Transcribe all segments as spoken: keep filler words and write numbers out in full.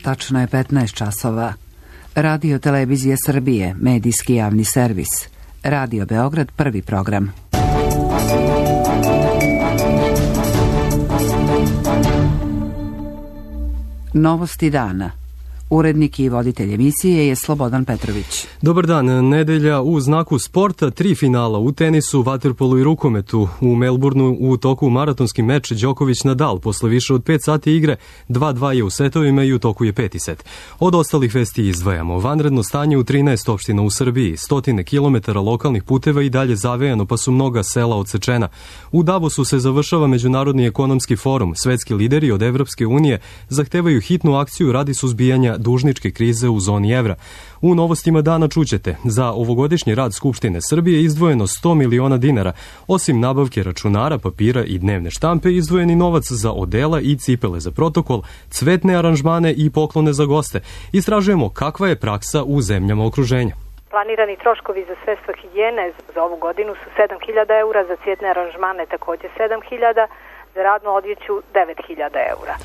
Tačno je petnaest časova. Radio Televizija Srbije, medijski javni servis. Radio Beograd, prvi program. Novosti dana. Urednik i voditelj emisije je Slobodan Petrović. Dobar dan. Nedelja u znaku sporta, tri finala u tenisu, vaterpolu i rukometu. U Melbourneu u toku maratonski meč Đoković-Nadal. Posle više od pet sati igre, dva dva je u setovima i u toku je peti set. Od ostalih vesti izdvajamo. Vanredno stanje u trinaest opština u Srbiji. Stotine kilometara lokalnih puteva i dalje zavejano, pa su mnoga sela odsečena. U Davosu se završava Međunarodni ekonomski forum. Svetski lideri od Evropske unije zahtevaju hitnu akciju radi suzbijanja dužničke krize u zoni evra. U novostima dana čućete, za ovogodišnji rad Skupštine Srbije izdvojeno sto miliona dinara. Osim nabavke računara, papira i dnevne štampe, izdvojeni novac za odela i cipele za protokol, cvetne aranžmane i poklone za goste. Istražujemo kakva je praksa u zemljama okruženja. Planirani troškovi za sredstva higijene za ovu godinu su sedam hiljada eura, za cvjetne aranžmane također sedam hiljada, za radnu odjeću devet hiljada eura.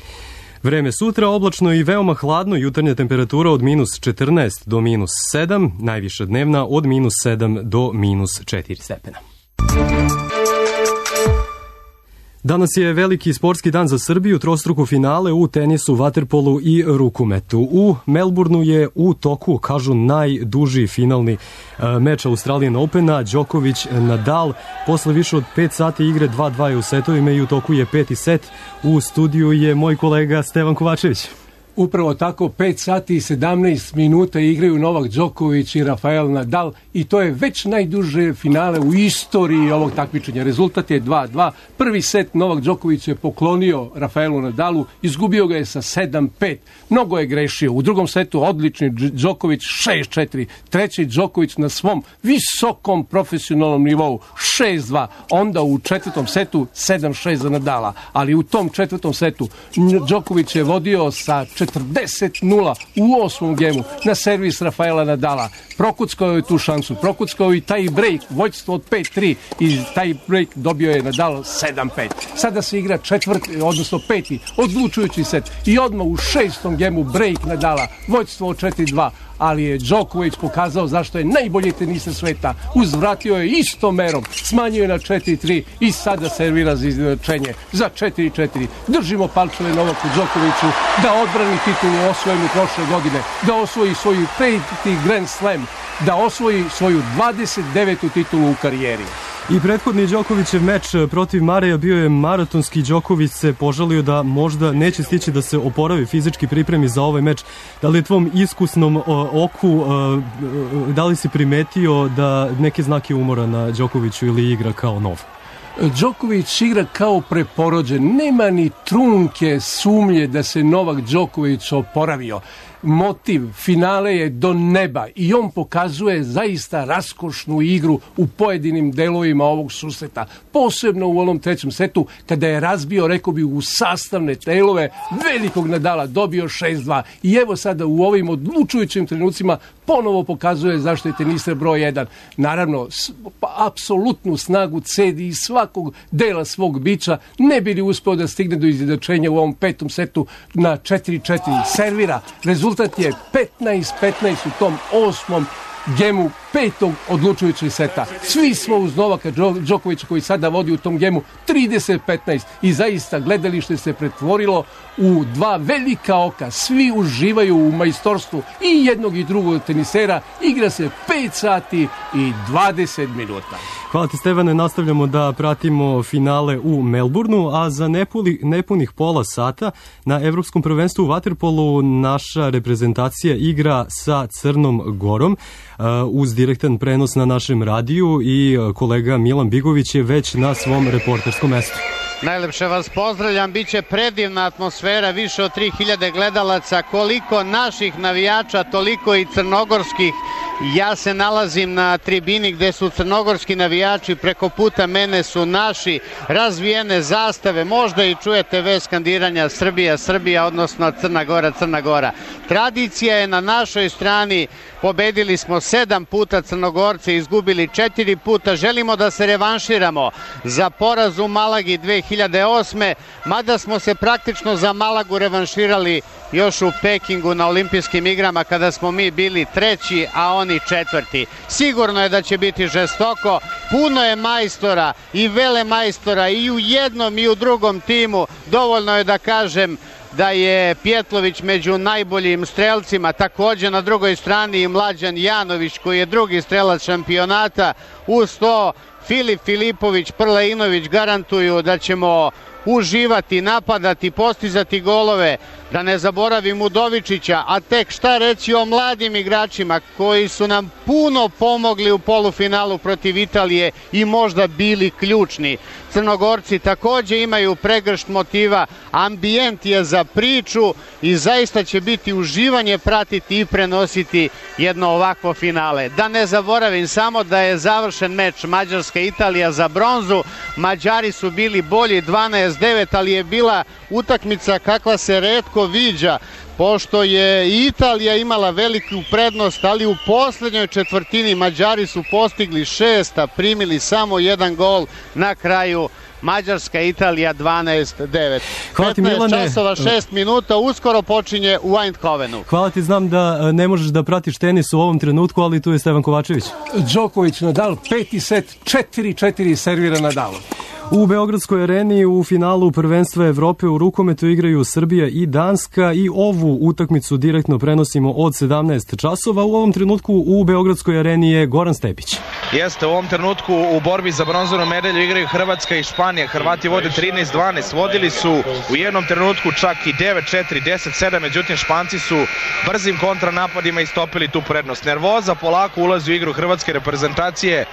Vreme sutra oblačno i veoma hladno, jutarnja temperatura od minus četrnaest do minus sedam, najviša dnevna od minus sedam do minus četiri stepena. Danas je veliki sportski dan za Srbiju, trostruko finale u tenisu, vaterpolu i rukometu. U Melbourneu je u toku, kažu, najduži finalni uh, meč Australian Opena, Đoković-Nadal. Posle više od pet sati igre, dva dva je u setovima i u toku je peti set. U studiju je moj kolega Stevan Kovačević. Upravo tako, pet sati i sedamnaest minuta igraju Novak Đoković i Rafael Nadal i to je već najduže finale u istoriji ovog takmičenja. Rezultat je dva dva. Prvi set Novak Đoković je poklonio Rafaelu Nadalu, izgubio ga je sa sedam pet. Mnogo je grešio. U drugom setu odlični Đoković šest četiri. Treći Đoković na svom visokom profesionalnom nivou šest dva. Onda u četvrtom setu sedam šest za Nadala. Ali u tom četvrtom setu Đoković je vodio sa četrdeset nula u osmom gemu na servis Rafaela Nadala. Prokuckao je tu šansu, prokuckao i taj break, vođstvo od pet tri i taj break dobio je Nadal sedam pet. Sada se igra četvrti, odnosno peti, odlučujući set i odmah u šestom gemu break Nadala, vođstvo od četiri dva. Ali je Đoković pokazao zašto je najbolji tenista sveta. Uzvratio je istom merom, smanjio je na četiri tri i sada servira za izjednačenje za četiri četiri. Držimo palčeve Novaku Đokoviću da odbrani titulu osvojenu prošle godine, da osvoji svoju peti Grand Slam, da osvoji svoju dvadeset devetu titulu u karijeri. I prethodni Đokovićev meč protiv Mareja bio je maratonski. Đoković se požalio da možda neće stići da se oporavi, fizički pripremi za ovaj meč. Da li je tvom iskusnom uh, oku, uh, da li si primetio da neke znake umora na Đokoviću ili igra kao nov? Đoković igra kao preporođen. Nema ni trunke sumnje da se Novak Đoković oporavio. Motiv finale je do neba i on pokazuje zaista raskošnu igru u pojedinim delovima ovog susreta. Posebno u onom trećem setu kada je razbio, rekao bi, u sastavne delove velikog Nadala, dobio šest dva. I evo sada u ovim odlučujućim trenucima ponovo pokazuje zašto je teniser broj jedan. Naravno, pa, apsolutnu snagu cedi iz svakog dela svog bića, ne bi li uspeo da stigne do izjednačenja u ovom petom setu na četiri četiri. Servira. Rezultat je petnaest petnaest u tom osmom gemu petog odlučujućeg seta. Svi smo uz Novaka Đokovića koji sada vodi u tom gemu trideset petnaest i zaista gledalište se pretvorilo u dva velika oka. Svi uživaju u majstorstvu i jednog i drugog tenisera. Igra se pet sati i dvadeset minuta. Hvala ti, Stevane. Nastavljamo da pratimo finale u Melbourneu, a za nepuli, nepunih pola sata na Evropskom prvenstvu u vaterpolu naša reprezentacija igra sa Crnom Gorom uh, uz direktan prenos na našem radiju i kolega Milan Bigović je već na svom reporterskom mestu. Najlepše vas pozdravljam, bit će predivna atmosfera, više od tri hiljade gledalaca, koliko naših navijača, toliko i crnogorskih. Ja se nalazim na tribini gde su crnogorski navijači, preko puta mene su naši, razvijene zastave, možda i čujete vez skandiranja Srbija, Srbija, odnosno Crna Gora, Crna Gora. Tradicija je na našoj strani, pobedili smo sedam puta Crnogorce, izgubili četiri puta, želimo da se revanširamo za poraz u Malagi dve hiljade osme. Mada smo se praktično za Malagu revanširali još u Pekingu na olimpijskim igrama kada smo mi bili treći, a oni četvrti. Sigurno je da će biti žestoko, puno je majstora i vele majstora i u jednom i u drugom timu. Dovoljno je da kažem da je Pjetlović među najboljim strelcima, također na drugoj strani i Mlađan Janović koji je drugi strelac šampionata. Uz to Filip Filipović, Prleinović garantuju da ćemo uživati, napadati, postizati golove. Da ne zaboravim Udovičića, a tek šta reći o mladim igračima koji su nam puno pomogli u polufinalu protiv Italije i možda bili ključni. Crnogorci također imaju pregršt motiva, ambijent je za priču i zaista će biti uživanje pratiti i prenositi jedno ovakvo finale. Da ne zaboravim samo da je završen meč Mađarska-Italija za bronzu. Mađari su bili bolji dvanaest devet, ali je bila utakmica kakva se retko viđa, pošto je Italija imala veliku prednost, ali u posljednjoj četvrtini Mađari su postigli šest, a primili samo jedan gol na kraju. Mađarska Italija dvanaest devet. petnaest časova šest minuta, uskoro počinje u Eindhovenu. Hvala ti, znam da ne možeš da pratiš tenis u ovom trenutku, ali tu je Stevan Kovačević. Đoković Nadal, peti set, četiri četiri servira Nadal. U Beogradskoj areni u finalu prvenstva Evrope u rukometu igraju Srbija i Danska i ovu utakmicu direktno prenosimo od sedamnaest časova. U ovom trenutku u Beogradskoj areni je Goran Stepić. Jeste, u ovom trenutku u borbi za bronzanu medalju igraju Hrvatska i Španija. Hrvati vode trinaest dvanaest, vodili su u jednom trenutku čak i devet četiri, deset sedam, međutim Španci su brzim kontranapadima istopili tu prednost. Nervoza polako ulazi u igru hrvatske reprezentacije.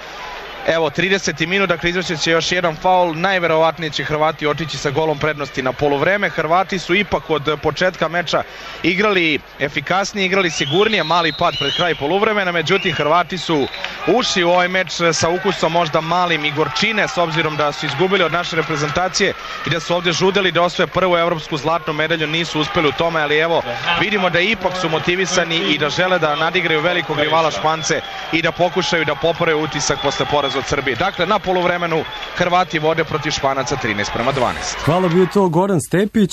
Evo, trideseti minut, dakle izvršit će još jedan faul, najverovatnije će Hrvati otići sa golom prednosti na poluvreme. Hrvati su ipak od početka meča igrali efikasnije, igrali sigurnije, mali pad pred kraj poluvremena, međutim Hrvati su ušli u ovaj meč sa ukusom možda malim i gorčine, s obzirom da su izgubili od naše reprezentacije i da su ovdje žudeli da osvoje prvu evropsku zlatnu medalju, nisu uspeli u tome, ali evo, vidimo da ipak su motivisani i da žele da nadigraju velikog rivala Špance i da pokušaju da poprave utisak posle poraza od Srbije. Dakle, na poluvremenu Hrvati vode protiv Španaca trinaest prema dvanaest. Hvala, bio to Goran Stepić.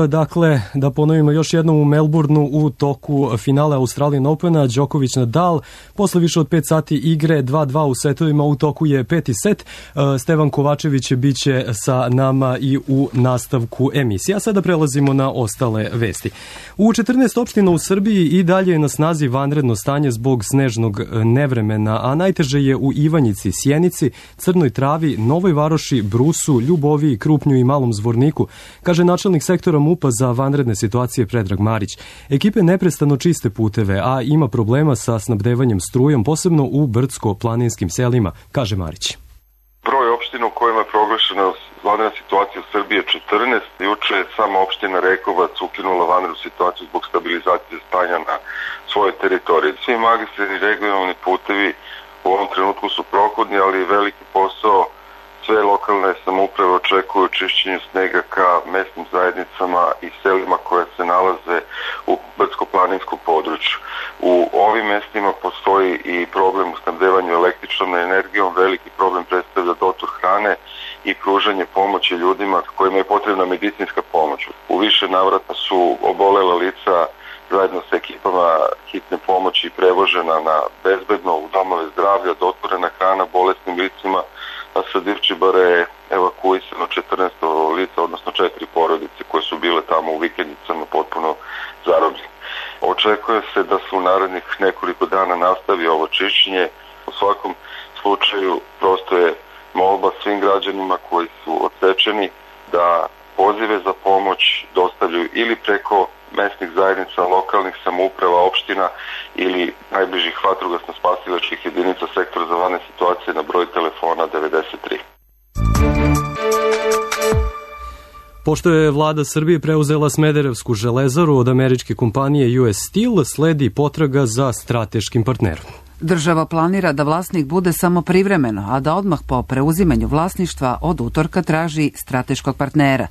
Dakle, da ponovimo još jednom, u Melbourneu u toku finale Australian Opena Đoković Nadal, posle više od pet sati igre dva dva u setovima, u toku je peti set. Stevan Kovačević biće sa nama i u nastavku emisije. A sada prelazimo na ostale vesti. U četrnaest opština u Srbiji i dalje je na snazi vanredno stanje zbog snežnog nevremena, a najteže je u Ivanjici, Sjenici, Crnoj Travi, Novoj Varoši, Brusu, Ljuboviji, Krupnju i Malom Zvorniku, kaže načelnik sektora MUP-a za vanredne situacije Predrag Marić. Ekipe neprestano čiste puteve, a ima problema sa snabdevanjem strujom, posebno u brdsko-planinskim selima, kaže Marić. Broj opština u kojima je proglašena vanredna situacija u Srbiji je četrnaest. Juče je sama opština Rekovac ukinula vanrednu situaciju zbog stabilizacije stanja na svojoj teritoriji. Svi magistralni regionalni putevi u ovom trenutku su prohodni, ali veliki posao sve lokalne samouprave očekuju čišćenju snega ka mesnim zajednicama i selima koje se nalaze u brdsko-planinskom području. U ovim mestima postoji i problem u snabdevanju električnom energijom, veliki problem predstavlja dotor hrane i pružanje pomoći ljudima kojima je potrebna medicinska pomoć. U više navrata su obolela lica zajedno sa ekipama hitne pomoći prevožena na bezbedno u domove zdravlja, dotvorena hrana bolesnim licima, a sa Divčibare je evakuisano četrnaest lica, odnosno četiri porodice koje su bile tamo u vikendicama potpuno zarobljene. Očekuje se da se u narednih nekoliko dana nastavi ovo čišćenje. U svakom slučaju prosto je molba svim građanima koji su odsečeni da pozive za pomoć dostavljaju ili preko mesnih zajednica, lokalnih samouprava, opština ili najbližih vatrogasno-spasilačkih jedinica sektora za vanredne situacije na broj telefona devedeset tri. Pošto je vlada Srbije preuzela Smederevsku železaru od američke kompanije U S Steel, sledi potraga za strateškim partnerom. Država planira da vlasnik bude samo privremeno, a da odmah po preuzimanju vlasništva od utorka traži strateškog partnera.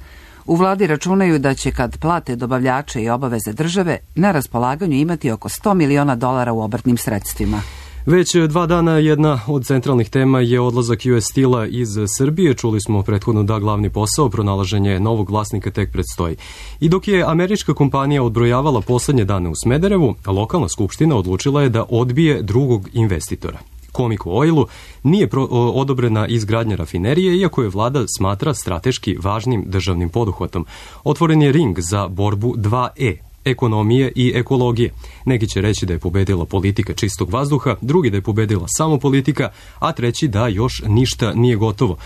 U vladi računaju da će, kad plate dobavljače i obaveze države, na raspolaganju imati oko sto miliona dolara u obrtnim sredstvima. Već dva dana jedna od centralnih tema je odlazak U S Steel-a iz Srbije. Čuli smo prethodno da glavni posao, pronalaženje novog vlasnika, tek predstoji. I dok je američka kompanija odbrojavala poslednje dane u Smederevu, lokalna skupština odlučila je da odbije drugog investitora. Comico Oilu nije pro, odobrena izgradnja rafinerije, iako je vlada smatra strateški važnim državnim poduhvatom. Otvoren je ring za borbu dva E. Ekonomije i ekologije. Neki će reći da je pobedila politika čistog vazduha, drugi da je pobedila samo politika, a treći da još ništa nije gotovo.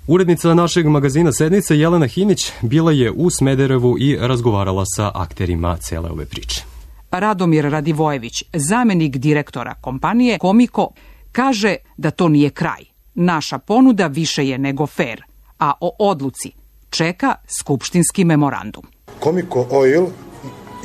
Urednica našeg magazina Sednica Jelena Hinić bila je u Smederevu i razgovarala sa akterima cele ove priče. Radomir Radivojević, zamenik direktora kompanije Comico, kaže da to nije kraj. Naša ponuda više je nego fair, a o odluci čeka skupštinski memorandum. Comico Oil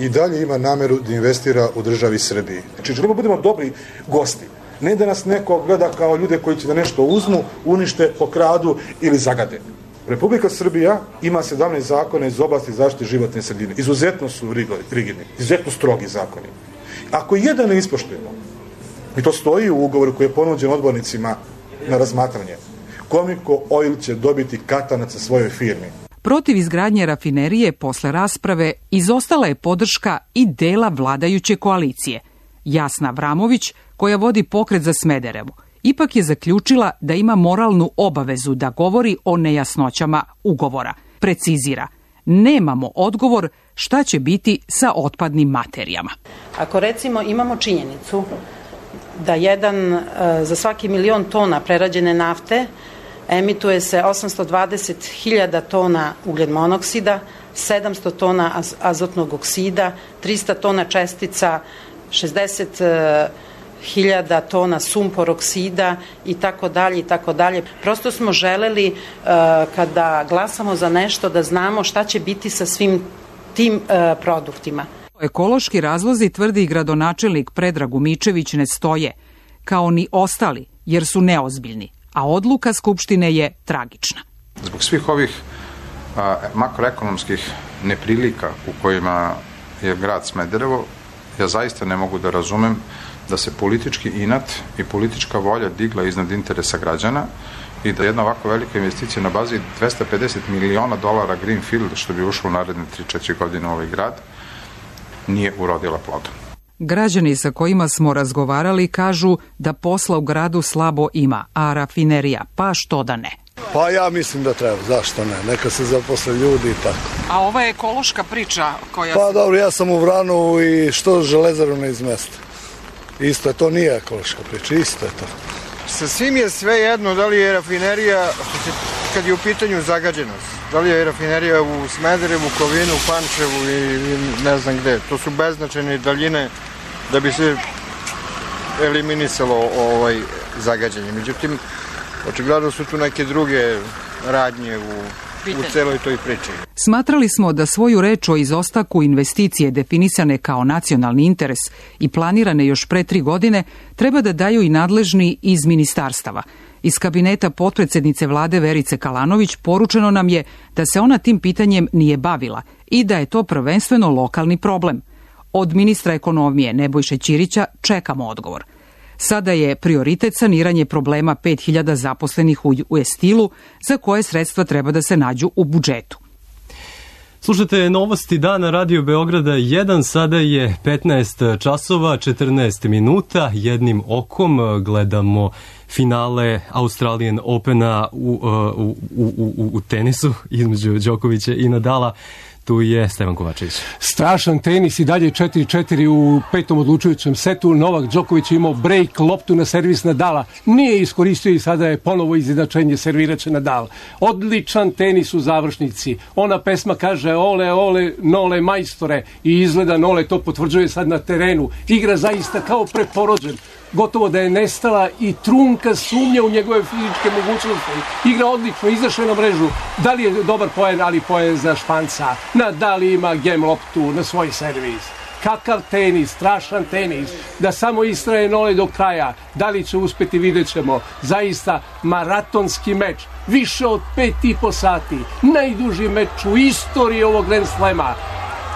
i dalje ima nameru da investira u državi Srbiji. Znači, želimo budemo dobri gosti. Ne da nas neko gleda kao ljude koji će da nešto uzmu, unište, pokradu ili zagade. Republika Srbija ima sedamnaest zakona iz oblasti zaštite životne sredine. Izuzetno su rigidni, izuzetno strogi zakoni. Ako jedan ne ispoštujemo, i to stoji u ugovoru koji je ponuđen odbornicima na razmatranje, Comico Oil će dobiti katanac sa svojoj firmi. Protiv izgradnje rafinerije posle rasprave izostala je podrška i dela vladajuće koalicije. Jasna Vramović, koja vodi pokret za Smederevo, ipak je zaključila da ima moralnu obavezu da govori o nejasnoćama ugovora. Precizira, nemamo odgovor šta će biti sa otpadnim materijama. Ako recimo imamo činjenicu da jedan za svaki milion tona prerađene nafte emituje se osamsto dvadeset hiljada tona ugljen monoksida, sedamsto tona azotnog oksida, trista tona čestica, šezdeset hiljada tona sumpor oksida i tako dalje i tako dalje. Prosto smo želeli uh, kada glasamo za nešto da znamo šta će biti sa svim tim uh, produktima. Ekološki razlozi, tvrdi i gradonačelnik Predrag Umičević, ne stoje, kao ni ostali, jer su neozbiljni, a odluka Skupštine je tragična. Zbog svih ovih a, makroekonomskih neprilika u kojima je grad Smederevo, ja zaista ne mogu da razumem da se politički inat i politička volja digla iznad interesa građana i da jedna ovako velika investicija na bazi dvesta pedeset miliona dolara Greenfield, što bi ušlo u naredne tri četiri godine u ovaj grad, nije urodila plodom. Građani sa kojima smo razgovarali kažu da posla u gradu slabo ima, a rafinerija, pa što da ne? Pa ja mislim da treba, zašto ne, neka se zaposle ljudi i tako. A ova je ekološka priča koja... Pa dobro, ja sam u Vranovu i što Železaru ne izmesta. Isto je, to nije ekološka priča, isto je to. Sa svim je sve jedno, da li je rafinerija, kad je u pitanju zagađenost, da li je rafinerija u Smederevu, Kovinu, Pančevu i ne znam gde. To su beznačajne daljine da bi se eliminisalo ovaj zagađenje. Međutim, očigledno su tu neke druge radnje u, u celoj toj priči. Smatrali smo da svoju reč o izostaku investicije definisane kao nacionalni interes i planirane još pre tri godine treba da daju i nadležni iz ministarstava. Iz kabineta potpredsednice vlade Verice Kalanović poručeno nam je da se ona tim pitanjem nije bavila i da je to prvenstveno lokalni problem. Od ministra ekonomije Nebojše Ćirića čekamo odgovor. Sada je prioritet saniranje problema pet hiljada zaposlenih u U S Steel-u, za koje sredstva treba da se nađu u budžetu. Slušajte novosti dana Radio Beograda jedan, sada je petnaest časova, četrnaest minuta, jednim okom gledamo finale Australian Opena u, u, u, u, u tenisu između Đokovića i Nadala. Tu je Stevan Kovačević. Strašan tenis i dalje četiri četiri u petom odlučujućem setu. Novak Đoković je imao break, loptu na servis Nadala. Nije iskoristio i sada je ponovo izjednačenje, serviraće Nadal. Odličan tenis u završnici. Ona pesma kaže ole, ole, nole majstore i izgleda Nole to potvrđuje sad na terenu. Igra zaista kao preporođen. Gotovo da je nestala i trunka sumnja u njegove fizičke mogućnosti. Igra odlično, izašao na mrežu. Da li je dobar poen, ali poen za Španca. Nadal ima gem loptu na svoj servis. Kakav tenis, strašan tenis. Da samo istraje Nole do kraja. Da li će uspeti, vidjet ćemo. Zaista maratonski meč. Više od pet i po sati. Najduži meč u istoriji ovog Grand Slema.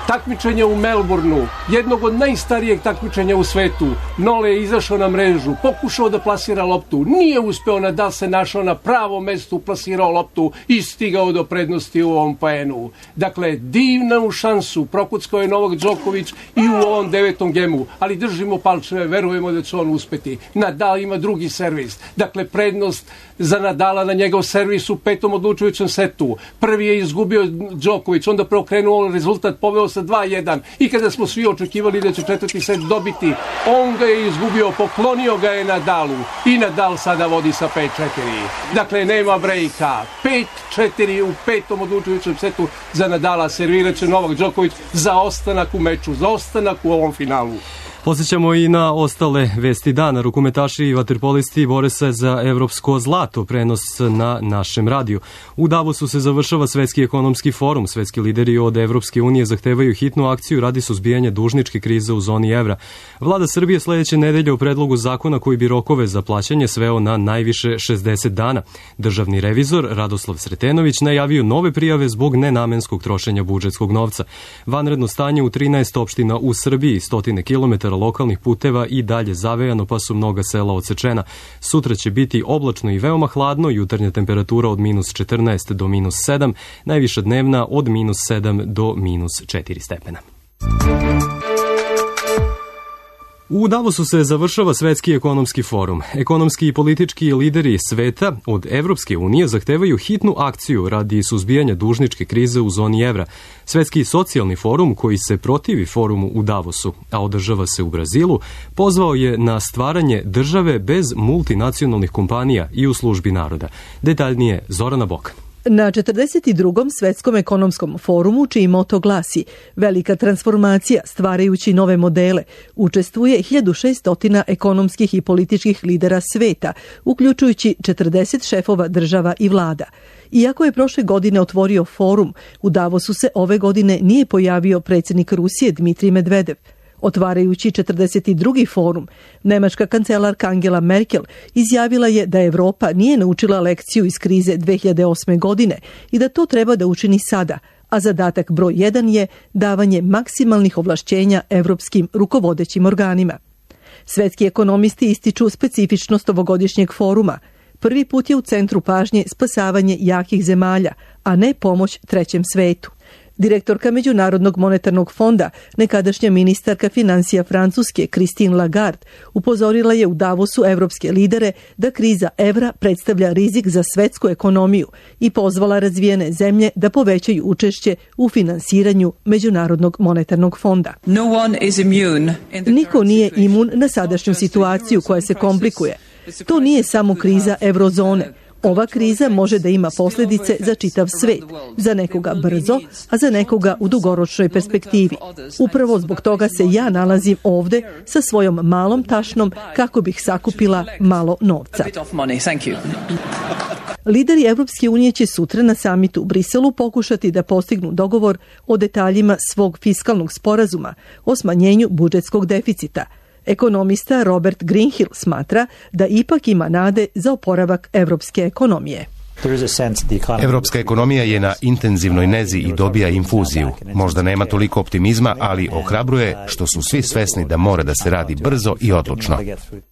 Takmičenje u Melbourneu, jednog od najstarijeg takmičenja u svetu. Nole je izašao na mrežu, pokušao da plasira loptu, nije uspeo, Nadal se našao na pravom mestu, plasirao loptu i stigao do prednosti u ovom poenu. Dakle, divnu šansu prokuckao je Novak Đoković i u ovom devetom gemu, ali držimo palčeve, verujemo da će on uspeti. Nadal ima drugi servis, dakle prednost za Nadala na njegov servis u petom odlučujućem setu. Prvi je izgubio Đoković, onda preokrenuo rezultat, poveo sa dva jedan i kada smo svi očekivali da će četvrti set dobiti, on ga je izgubio, poklonio ga je Nadalu i Nadal sada vodi sa pet četiri. Dakle, nema brejka. pet četiri u petom odlučujućem setu za Nadala, servirat će Novak Đoković za ostanak u meču, za ostanak u ovom finalu. Posjećamo i na ostale vesti dana. Rukometaši i vaterpolisti bore se za evropsko zlato, prenos na našem radiju. U Davosu se završava Svetski ekonomski forum. Svetski lideri od Evropske unije zahtevaju hitnu akciju radi suzbijanja dužničke krize u zoni evra. Vlada Srbije sledeće nedelje u predlogu zakona koji bi rokove za plaćanje sveo na najviše šezdeset dana. Državni revizor Radoslav Sretenović najavio nove prijave zbog nenamenskog trošenja budžetskog novca. Vanredno stanje u trinaest opština u Srbiji, stotine kilometara lokalnih puteva i dalje zavejano, pa su mnoga sela odsečena. Sutra će biti oblačno i veoma hladno, jutarnja temperatura od minus četrnaest do minus sedam, najviša dnevna od minus sedam do minus četiri stepena. U Davosu se završava Svetski ekonomski forum. Ekonomski i politički lideri sveta od Evropske unije zahtevaju hitnu akciju radi suzbijanja dužničke krize u zoni evra. Svetski socijalni forum, koji se protivi forumu u Davosu, a održava se u Brazilu, pozvao je na stvaranje države bez multinacionalnih kompanija i u službi naroda. Detaljnije Zorana Bokan. Na četrdeset drugom Svetskom ekonomskom forumu, čiji moto glasi Velika transformacija stvarajući nove modele, učestvuje hiljadu šesto ekonomskih i političkih lidera sveta, uključujući četrdeset šefova država i vlada. Iako je prošle godine otvorio forum, u Davosu se ove godine nije pojavio predsjednik Rusije Dmitrij Medvedev. Otvarajući četrdeset drugi forum, nemačka kancelarka Angela Merkel izjavila je da Evropa nije naučila lekciju iz krize dve hiljade osme. godine i da to treba da učini sada, a zadatak broj jedan je davanje maksimalnih ovlašćenja evropskim rukovodećim organima. Svetski ekonomisti ističu specifičnost ovogodišnjeg foruma. Prvi put je u centru pažnje spasavanje jakih zemalja, a ne pomoć trećem svetu. Direktorka Međunarodnog monetarnog fonda, nekadašnja ministarka financija Francuske Christine Lagarde, upozorila je u Davosu evropske lidere da kriza evra predstavlja rizik za svetsku ekonomiju i pozvala razvijene zemlje da povećaju učešće u finansiranju Međunarodnog monetarnog fonda. Niko nije imun na sadašnju situaciju koja se komplikuje. To nije samo kriza eurozone. Ova kriza može da ima posljedice za čitav svet, za nekoga brzo, a za nekoga u dugoročnoj perspektivi. Upravo zbog toga se ja nalazim ovde sa svojom malom tašnom kako bih sakupila malo novca. Lideri Evropske unije će sutra na samitu u Briselu pokušati da postignu dogovor o detaljima svog fiskalnog sporazuma o smanjenju budžetskog deficita. Ekonomista Robert Greenhill smatra da ipak ima nade za oporavak evropske ekonomije. Evropska ekonomija je na intenzivnoj nezi i dobija infuziju. Možda nema toliko optimizma, ali ohrabruje što su svi svesni da mora da se radi brzo i odlučno.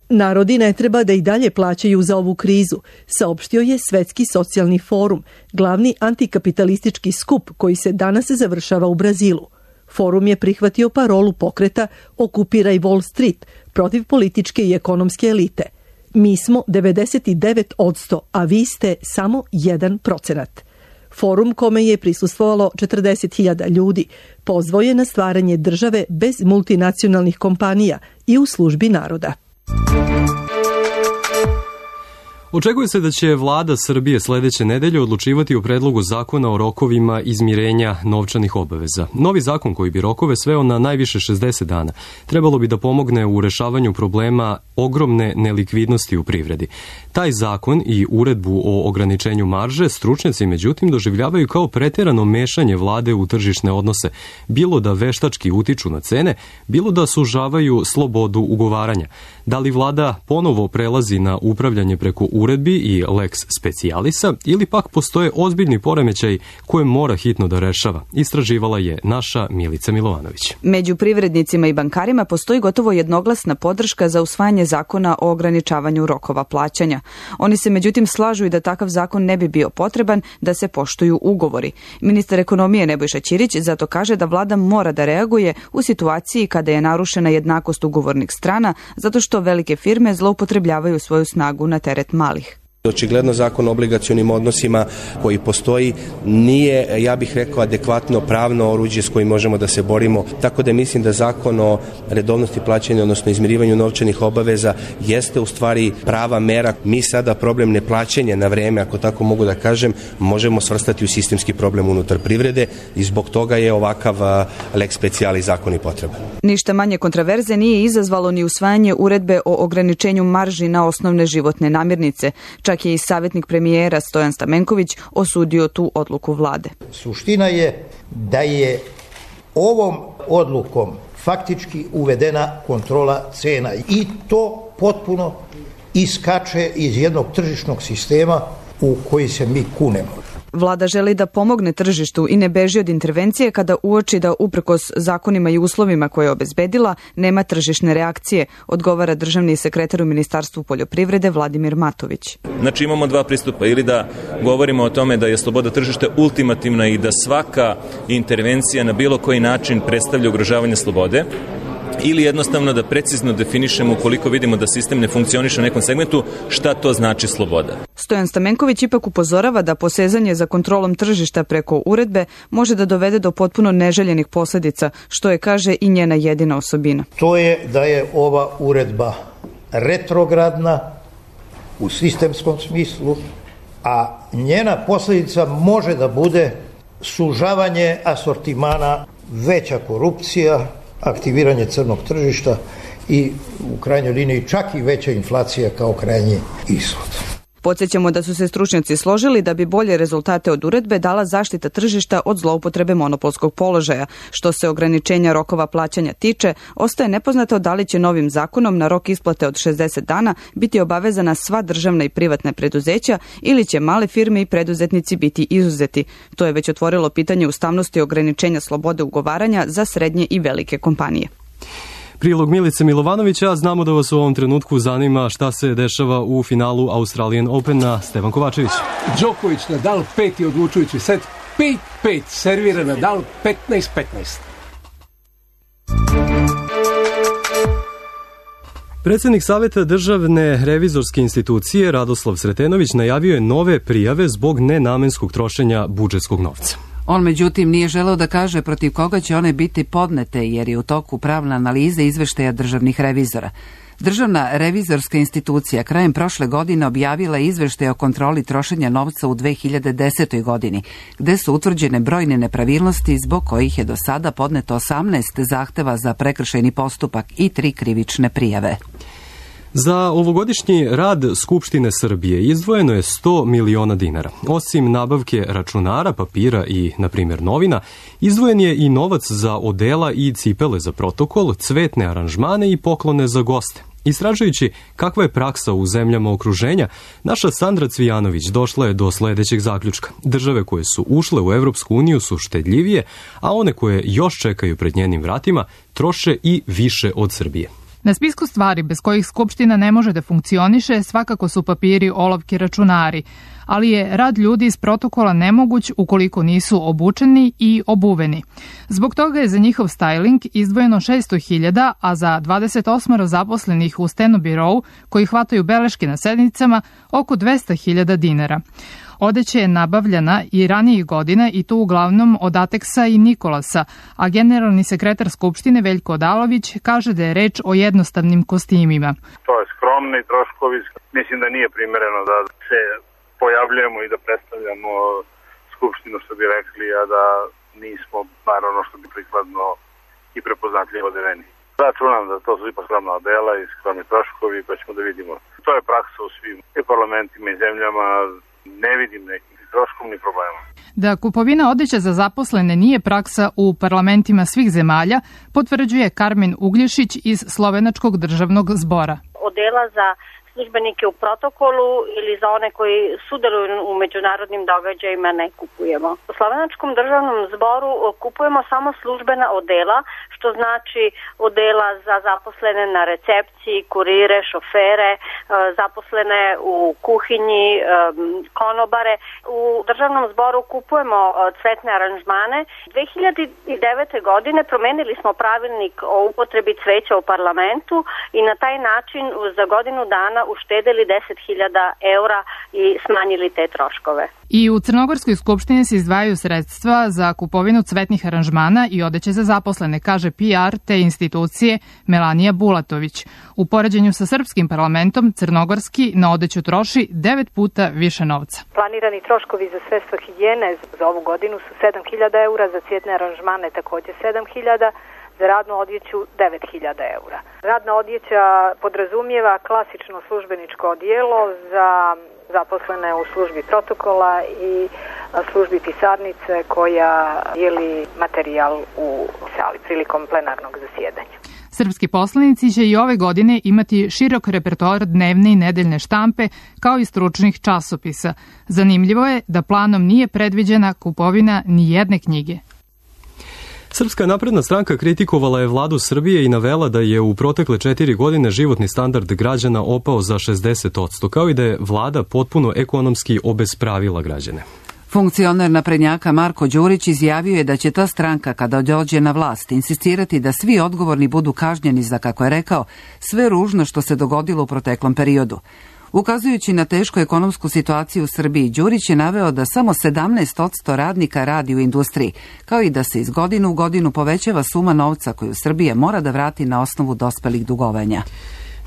Narodi ne treba da i dalje plaćaju za ovu krizu, saopštio je Svetski socijalni forum, glavni antikapitalistički skup koji se danas završava u Brazilu. Forum je prihvatio parolu pokreta Okupiraj Wall Street protiv političke i ekonomske elite. Mi smo devedeset devet posto, a vi ste samo jedan procenat. Forum, kome je prisustvovalo četrdeset hiljada ljudi, pozvao je na stvaranje države bez multinacionalnih kompanija i u službi naroda. Očekuje se da će vlada Srbije sledeće nedelje odlučivati o predlogu zakona o rokovima izmirenja novčanih obaveza. Novi zakon koji bi rokove sveo na najviše šezdeset dana trebalo bi da pomogne u rešavanju problema ogromne nelikvidnosti u privredi. Taj zakon i uredbu o ograničenju marže stručnjaci međutim doživljavaju kao preterano mešanje vlade u tržišne odnose, bilo da veštački utiču na cene, bilo da sužavaju slobodu ugovaranja. Da li vlada ponovo prelazi na upravljanje preko uredbi i lex specialisa ili pak postoje ozbiljni poremećaj koje mora hitno da rešava? Istraživala je naša Milica Milovanović. Među privrednicima i bankarima postoji gotovo jednoglasna podrška za usvajanje zakona o ograničavanju rokova plaćanja. Oni se međutim slažu i da takav zakon ne bi bio potreban da se poštuju ugovori. Ministar ekonomije Nebojša Ćirić zato kaže da vlada mora da reaguje u situaciji kada je narušena jednakost ugovornih strana zato što velike firme zloupotrebljavaju svoju snagu na teret malih. Očigledno zakon o obligacionim odnosima koji postoji nije, ja bih rekao, adekvatno pravno oruđe s kojim možemo da se borimo, tako da mislim da zakon o redovnosti plaćanja, odnosno izmirivanju novčanih obaveza jeste u stvari prava mera. Mi sada problem neplaćanja na vreme, ako tako mogu da kažem, možemo svrstati u sistemski problem unutar privrede i zbog toga je ovakav lex specialis zakon i potreban. Ništa manje kontraverze nije izazvalo ni usvajanje uredbe o ograničenju marži na osnovne životne namirnice. Čak je i savjetnik premijera Stojan Stamenković osudio tu odluku vlade. Suština je da je ovom odlukom faktički uvedena kontrola cena i to potpuno iskače iz jednog tržišnog sistema u koji se mi kunemo. Vlada želi da pomogne tržištu i ne beži od intervencije kada uoči da uprkos zakonima i uslovima koje je obezbedila nema tržišne reakcije, odgovara državni sekretar u Ministarstvu poljoprivrede Vladimir Matović. Znači imamo dva pristupa, ili da govorimo o tome da je sloboda tržišta ultimativna i da svaka intervencija na bilo koji način predstavlja ugrožavanje slobode, ili jednostavno da precizno definišemo ukoliko vidimo da sistem ne funkcioniše u nekom segmentu, šta to znači sloboda. Stojan Stamenković ipak upozorava da posezanje za kontrolom tržišta preko uredbe može da dovede do potpuno neželjenih posledica, što je, kaže, i njena jedina osobina. To je da je ova uredba retrogradna u sistemskom smislu, a njena posljedica može da bude sužavanje asortimana, veća korupcija, aktiviranje crnog tržišta i u krajnjoj liniji čak i veća inflacija kao krajnji ishod. Podsjećamo da su se stručnjaci složili da bi bolje rezultate od uredbe dala zaštita tržišta od zloupotrebe monopolskog položaja. Što se ograničenja rokova plaćanja tiče, ostaje nepoznato da li će novim zakonom na rok isplate od šezdeset dana biti obavezana sva državna i privatna preduzeća ili će male firme i preduzetnici biti izuzeti. To je već otvorilo pitanje ustavnosti ograničenja slobode ugovaranja za srednje i velike kompanije. Prilog Milice Milovanovića, znamo da vas u ovom trenutku zanima šta se dešava u finalu Australian Opena. Stevan Kovačević. Đoković, Nadal, peti odlučujući set, pet pet, servira Nadal, petnaest petnaest. Predsjednik Saveta državne revizorske institucije Radoslav Sretenović najavio je nove prijave zbog nenamenskog trošenja budžetskog novca. On međutim nije želeo da kaže protiv koga će one biti podnete jer je u toku pravna analiza izveštaja državnih revizora. Državna revizorska institucija krajem prošle godine objavila izveštaj o kontroli trošenja novca u dve hiljade desetoj. godini, gde su utvrđene brojne nepravilnosti zbog kojih je do sada podneto osamnaest zahteva za prekršajni postupak i tri krivične prijave. Za ovogodišnji rad Skupštine Srbije izdvojeno je sto miliona dinara. Osim nabavke računara, papira i, na primjer, novina, izdvojen je i novac za odela i cipele za protokol, cvetne aranžmane i poklone za goste. Istražujući kakva je praksa u zemljama okruženja, naša Sandra Cvijanović došla je do sledećeg zaključka. Države koje su ušle u Evropsku uniju su štedljivije, a one koje još čekaju pred njenim vratima troše i više od Srbije. Na spisku stvari bez kojih Skupština ne može da funkcioniše svakako su papiri, olovke, računari, ali je rad ljudi iz protokola nemoguć ukoliko nisu obučeni i obuveni. Zbog toga je za njihov styling izdvojeno šesto hiljada, a za dvadeset osam zaposlenih u Stenobirou, koji hvataju beleške na sednicama, oko dvesta hiljada dinara. Odeća je nabavljena i ranijih godina i to uglavnom od Ateksa i Nikolasa, a generalni sekretar Skupštine Veljko Odalović kaže da je reč o jednostavnim kostimima. To je skromni troškovi, mislim da nije primereno da se pojavljujemo i da predstavljamo Skupštinu, što bi rekli, a da nismo bar ono što bi prikladno i prepoznatljivo odeveni. Računam da to su ipak skromna odela i skromni troškovi, pa ćemo da vidimo. To je praksa u svim i parlamentima i zemljama. Ne vidim nekih troškovnih problema. Da kupovina odeća za zaposlene nije praksa u parlamentima svih zemalja, potvrđuje Karmen Uglješić iz Slovenačkog državnog zbora. odela za službenike u protokolu ili za one koji sudjeluju u međunarodnim događajima ne kupujemo. U Slovenačkom državnom zboru kupujemo samo službena odela, što znači odela za zaposlene na recepciji, kurire, šofere, zaposlene u kuhinji, konobare. U državnom zboru kupujemo cvetne aranžmane. dve hiljade devete. godine promenili smo pravilnik o upotrebi cveća u parlamentu i na taj način za godinu dana uštedeli deset hiljada eura i smanjili te troškove. I u Crnogorskoj skupštini se izdvajaju sredstva za kupovinu cvetnih aranžmana i odeće za zaposlene, kaže P R te institucije Melanija Bulatović. U poređenju sa srpskim parlamentom, crnogorski na odeću troši devet puta više novca. Planirani troškovi za sredstva higijene za ovu godinu su sedam hiljada eura, za cvjetne aranžmane također sedam hiljada, za radnu odjeću devet hiljada eura. Radna odjeća podrazumijeva klasično službeničko odijelo za zaposlene u službi protokola i službi pisarnice koja dijeli materijal u sali prilikom plenarnog zasjedanja. Srpski poslanici će i ove godine imati širok repertoar dnevne i nedeljne štampe kao i stručnih časopisa. Zanimljivo je da planom nije predviđena kupovina ni jedne knjige. Srpska napredna stranka kritikovala je vladu Srbije i navela da je u protekle četiri godine životni standard građana opao za šezdeset posto, kao i da je vlada potpuno ekonomski obespravila građane. Funkcioner naprednjaka Marko Đurić izjavio je da će ta stranka kada dođe na vlast insistirati da svi odgovorni budu kažnjeni za, kako je rekao, sve ružno što se dogodilo u proteklom periodu. Ukazujući na tešku ekonomsku situaciju u Srbiji, Đurić je naveo da samo sedamnaest posto radnika radi u industriji, kao i da se iz godine u godinu povećava suma novca koju Srbija mora da vrati na osnovu dospelih dugovanja.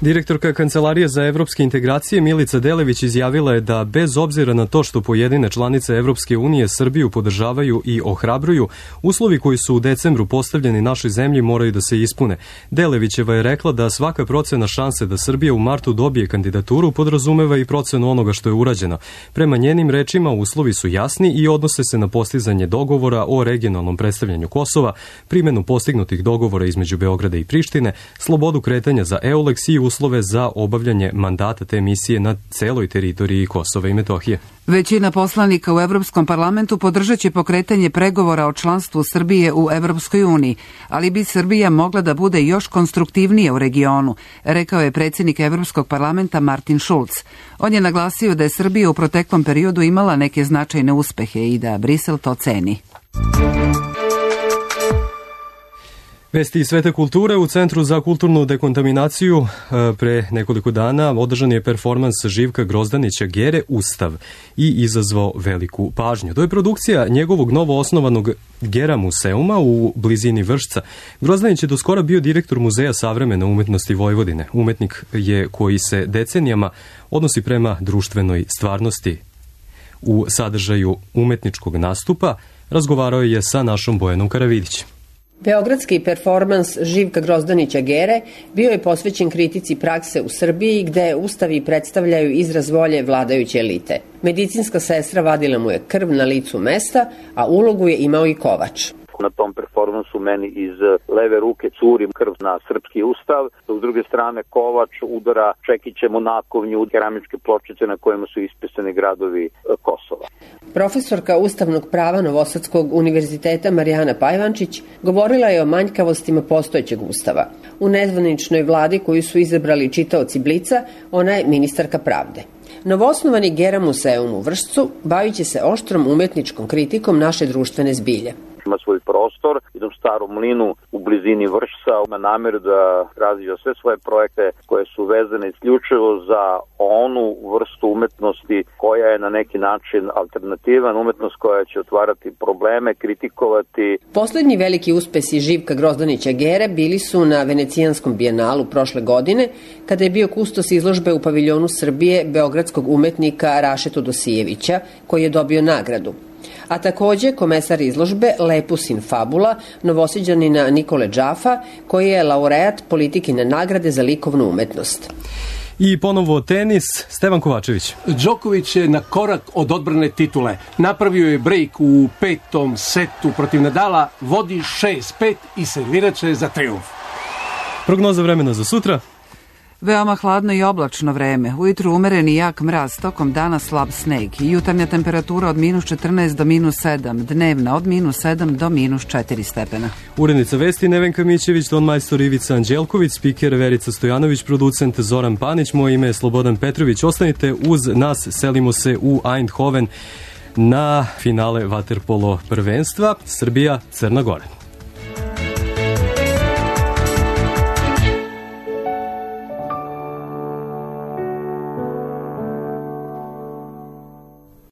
Direktorka Kancelarije za evropske integracije Milica Delević izjavila je da bez obzira na to što pojedine članice Evropske unije Srbiju podržavaju i ohrabruju, uslovi koji su u decembru postavljeni našoj zemlji moraju da se ispune. Delevićeva je rekla da svaka procena šanse da Srbija u martu dobije kandidaturu podrazumeva i procenu onoga što je urađeno. Prema njenim rečima uslovi su jasni i odnose se na postizanje dogovora o regionalnom predstavljanju Kosova, primjenu postignutih dogovora između Beograda i Prištine, slobodu kretanja za EULEX i uslove za obavljanje mandata te misije na celoj teritoriji Kosova i Metohije. Većina poslanika u Evropskom parlamentu podržat će pokretanje pregovora o članstvu Srbije u Evropskoj uniji, ali bi Srbija mogla da bude još konstruktivnija u regionu, rekao je predsjednik Evropskog parlamenta Martin Schulz. On je naglasio da je Srbija u proteklom periodu imala neke značajne uspehe i da Brisel to ceni. Vesti iz sveta kulture. U Centru za kulturnu dekontaminaciju pre nekoliko dana održan je performans Živka Grozdanića Gere Ustav i izazvao veliku pažnju. To je produkcija njegovog novo osnovanog Gera museuma u blizini Vršca. Grozdanić je do skora bio direktor Muzeja savremene umetnosti Vojvodine. Umetnik je koji se decenijama odnosi prema društvenoj stvarnosti. U sadržaju umetničkog nastupa razgovarao je sa našom Bojanom Karavidić. Beogradski performans Živka Grozdanića Gere bio je posvećen kritici prakse u Srbiji gde ustavi predstavljaju izraz volje vladajuće elite. Medicinska sestra vadila mu je krv na licu mesta, a ulogu je imao i kovač. Na tom performansu meni iz leve ruke curi krv na srpski ustav, s druge strane kovač udara čekićem u nakovnju keramičke pločice na kojima su ispisani gradovi Kosova. Profesorka ustavnog prava Novosadskog univerziteta Marijana Pajvančić govorila je o manjkavostima postojećeg ustava. U nezvaničnoj vladi koju su izabrali čitaoci Blica, ona je ministarka pravde. Novoosnovani Gera museum u Vršcu bavit će se oštrom umetničkom kritikom naše društvene zbilje. Ima svoj prostor, idem u Starom mlinu u blizini Vršca, ima namjeru da razvija sve svoje projekte koje su vezane isključivo za onu vrstu umetnosti koja je na neki način alternativan, umetnost koja će otvarati probleme, kritikovati. Poslednji veliki uspesi Živka Grozdanića Gere bili su na Venecijanskom bijenalu prošle godine, kada je bio kustos izložbe u paviljonu Srbije beogradskog umetnika Rašetu Dosijevića, koji je dobio nagradu. A takođe komesar izložbe Lepus in Fabula, Novosiđanina Nikole Džafa, koji je laureat politikine nagrade za likovnu umetnost. I ponovo tenis, Stevan Kovačević. Đoković je na korak od odbrane titule. Napravio je break u petom setu protiv Nadala, vodi šest pet i servirat će za trijumf. Prognoza vremena za sutra. Veoma hladno i oblačno vreme. Ujutru umeren i jak mraz, tokom dana slab sneg. Jutarnja temperatura od minus četrnaest do minus sedam, dnevna od minus sedam do minus četiri stepena. Urednica vesti Nevenka Mićević, ton majstor Ivica Anđelković, spiker Verica Stojanović, producent Zoran Panić, moje ime je Slobodan Petrović. Ostanite uz nas, selimo se u Eindhoven na finale vaterpolo prvenstva Srbija-Crna Gora.